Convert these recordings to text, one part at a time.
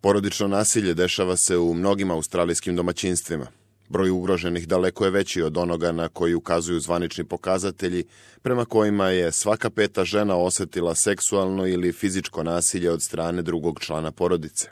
Porodično nasilje dešava se u mnogim australijskim domaćinstvima. Broj ugroženih daleko je veći od onoga na koji ukazuju zvanični pokazatelji, prema kojima je svaka peta žena osetila seksualno ili fizičko nasilje od strane drugog člana porodice.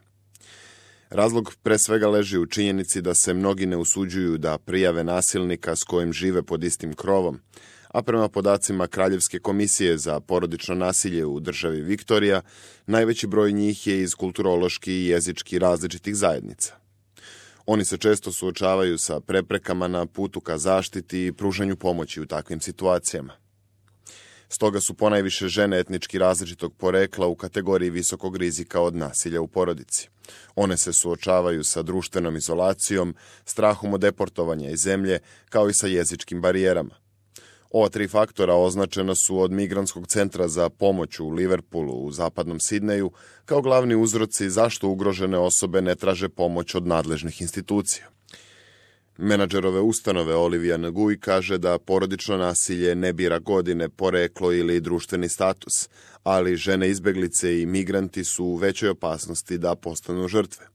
Razlog pre svega leži u činjenici da se mnogi ne usuđuju da prijave nasilnika s kojim žive pod istim krovom, a prema podacima Kraljevske komisije za porodično nasilje u državi Viktorija, najveći broj njih je iz kulturološki i jezički različitih zajednica. Oni se često suočavaju sa preprekama na putu ka zaštiti i pružanju pomoći u takvim situacijama. Stoga su ponajviše žene etnički različitog porekla u kategoriji visokog rizika od nasilja u porodici. One se suočavaju sa društvenom izolacijom, strahom od deportovanja iz zemlje, kao i sa jezičkim barijerama. Ova 3 faktora označena su od Migrantskog centra za pomoć u Liverpoolu u zapadnom Sidneju kao glavni uzroci zašto ugrožene osobe ne traže pomoć od nadležnih institucija. Menadžerove ustanove Olivia Ngui kaže da porodično nasilje ne bira godine, poreklo ili društveni status, ali žene izbeglice i migranti su u većoj opasnosti da postanu žrtve.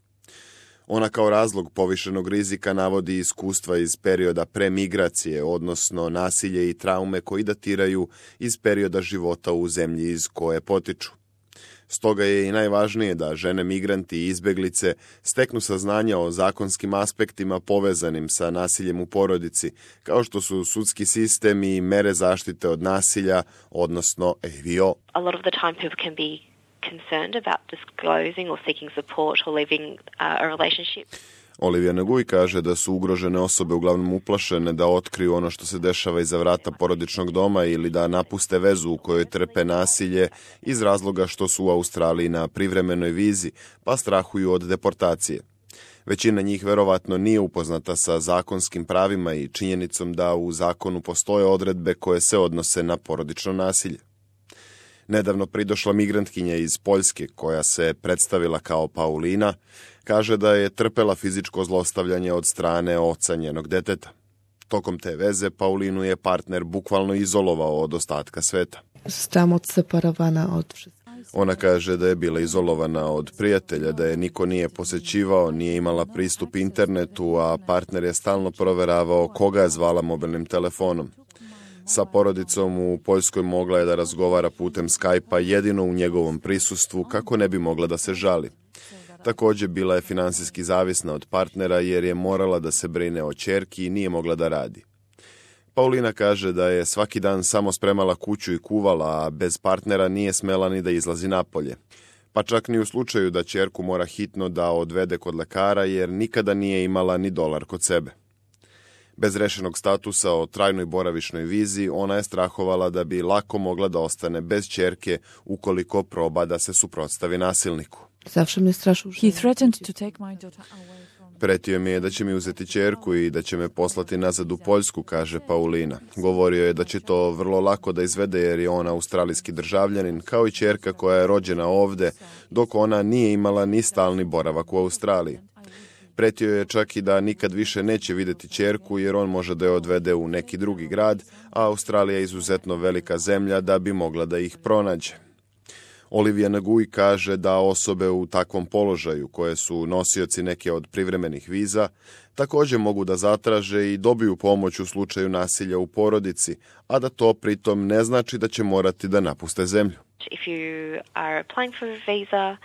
Ona kao razlog povišenog rizika navodi iskustva iz perioda premigracije, odnosno nasilje i traume koji datiraju iz perioda života u zemlji iz koje potiču. Stoga je i najvažnije da žene migranti i izbeglice steknu saznanja o zakonskim aspektima povezanim sa nasiljem u porodici, kao što su sudski sistem i mere zaštite od nasilja, odnosno AVO. A lot of the time people can be concerned about disclosing or seeking support or leaving a relationship. Olivia Ngui kaže da su ugrožene osobe uglavnom uplašene da otkriju ono što se dešava iza vrata porodičnog doma ili da napuste vezu u kojoj trpe nasilje iz razloga što su u Australiji na privremenoj vizi, pa strahuju od deportacije. Većina njih verovatno nije upoznata sa zakonskim pravima i činjenicom da u zakonu postoje odredbe koje se odnose na porodično nasilje. Nedavno pridošla migrantkinja iz Poljske, koja se predstavila kao Paulina, kaže da je trpela fizičko zlostavljanje od strane oca njenog deteta. Tokom te veze Paulinu je partner bukvalno izolovao od ostatka sveta. Ona kaže da je bila izolovana od prijatelja, da je niko nije posećivao, nije imala pristup internetu, a partner je stalno proveravao koga je zvala mobilnim telefonom. Sa porodicom u Poljskoj mogla je da razgovara putem Skype-a jedino u njegovom prisustvu kako ne bi mogla da se žali. Također bila je finansijski zavisna od partnera jer je morala da se brine o ćerki i nije mogla da radi. Paulina kaže da je svaki dan samo spremala kuću i kuvala, a bez partnera nije smela ni da izlazi napolje. Pa čak ni u slučaju da ćerku mora hitno da odvede kod lekara jer nikada nije imala ni dolar kod sebe. Bez rešenog statusa o trajnoj boravišnoj vizi, ona je strahovala da bi lako mogla da ostane bez ćerke ukoliko proba da se suprotstavi nasilniku. Pretio mi je da će mi uzeti ćerku i da će me poslati nazad u Poljsku, kaže Paulina. Govorio je da će to vrlo lako da izvede jer je ona australijski državljanin, kao i ćerka koja je rođena ovde, dok ona nije imala ni stalni boravak u Australiji. Pretio je čak i da nikad više neće videti ćerku jer on može da je odvede u neki drugi grad, a Australija je izuzetno velika zemlja da bi mogla da ih pronađe. Olivia Ngui kaže da osobe u takvom položaju, koje su nosioci neke od privremenih viza, također mogu da zatraže i dobiju pomoć u slučaju nasilja u porodici, a da to pritom ne znači da će morati da napuste zemlju. If you are applying for a visa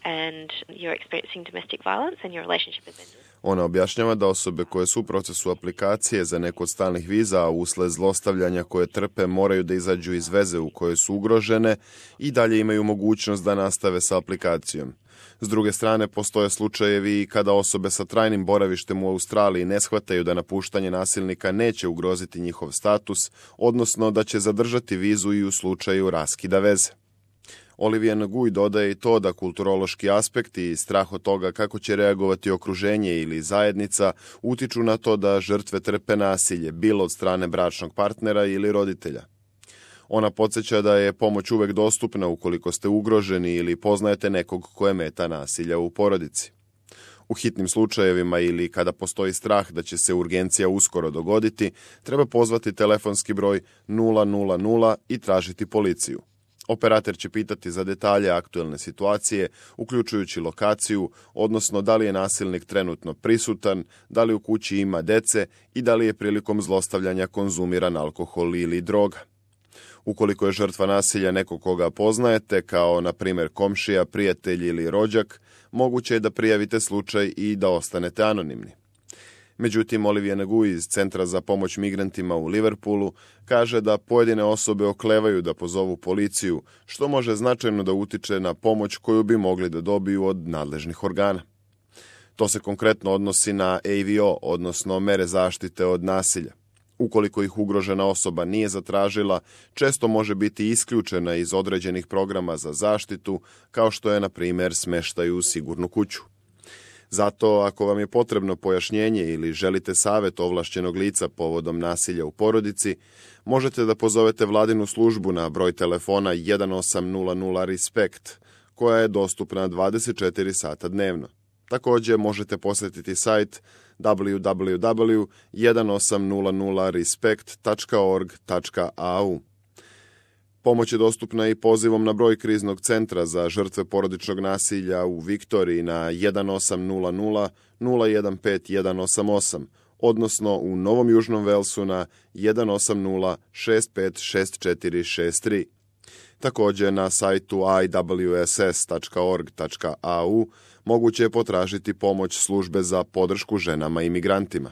and you're experiencing domestic violence and your relationship is ended. Ona objašnjava da osobe koje su u procesu aplikacije za neku od stalnih viza, a usled zlostavljanja koje trpe moraju da izađu iz veze u kojoj su ugrožene i dalje imaju mogućnost da nastave sa aplikacijom. S druge strane, postoje slučajevi kada osobe sa trajnim boravištem u Australiji ne shvataju da napuštanje nasilnika neće ugroziti njihov status, odnosno da će zadržati vizu i u slučaju raskida veze. Olivia Ngui dodaje i to da kulturološki aspekti i strah od toga kako će reagovati okruženje ili zajednica utiču na to da žrtve trpe nasilje, bilo od strane bračnog partnera ili roditelja. Ona podsjeća da je pomoć uvek dostupna ukoliko ste ugroženi ili poznajete nekog ko je meta nasilja u porodici. U hitnim slučajevima ili kada postoji strah da će se urgencija uskoro dogoditi, treba pozvati telefonski broj 000 i tražiti policiju. Operator će pitati za detalje aktuelne situacije, uključujući lokaciju, odnosno da li je nasilnik trenutno prisutan, da li u kući ima dece i da li je prilikom zlostavljanja konzumiran alkohol ili droga. Ukoliko je žrtva nasilja neko koga poznajete, kao na primjer komšija, prijatelj ili rođak, moguće je da prijavite slučaj i da ostanete anonimni. Međutim, Olivia Nagu iz Centra za pomoć migrantima u Liverpoolu kaže da pojedine osobe oklevaju da pozovu policiju, što može značajno da utiče na pomoć koju bi mogli da dobiju od nadležnih organa. To se konkretno odnosi na AVO, odnosno mere zaštite od nasilja. Ukoliko ih ugrožena osoba nije zatražila, često može biti isključena iz određenih programa za zaštitu, kao što je, na primjer, smeštaj u sigurnu kuću. Zato, ako vam je potrebno pojašnjenje ili želite savjet ovlašćenog lica povodom nasilja u porodici, možete da pozovete vladinu službu na broj telefona 1800 RESPECT, koja je dostupna 24 sata dnevno. Također možete posjetiti sajt www.1800respect.org.au. Pomoć je dostupna i pozivom na broj kriznog centra za žrtve porodičnog nasilja u Viktoriji na 1800 015 188, odnosno u Novom Južnom Velsu na 180 656463. Također na sajtu iwss.org.au moguće je potražiti pomoć službe za podršku ženama i migrantima.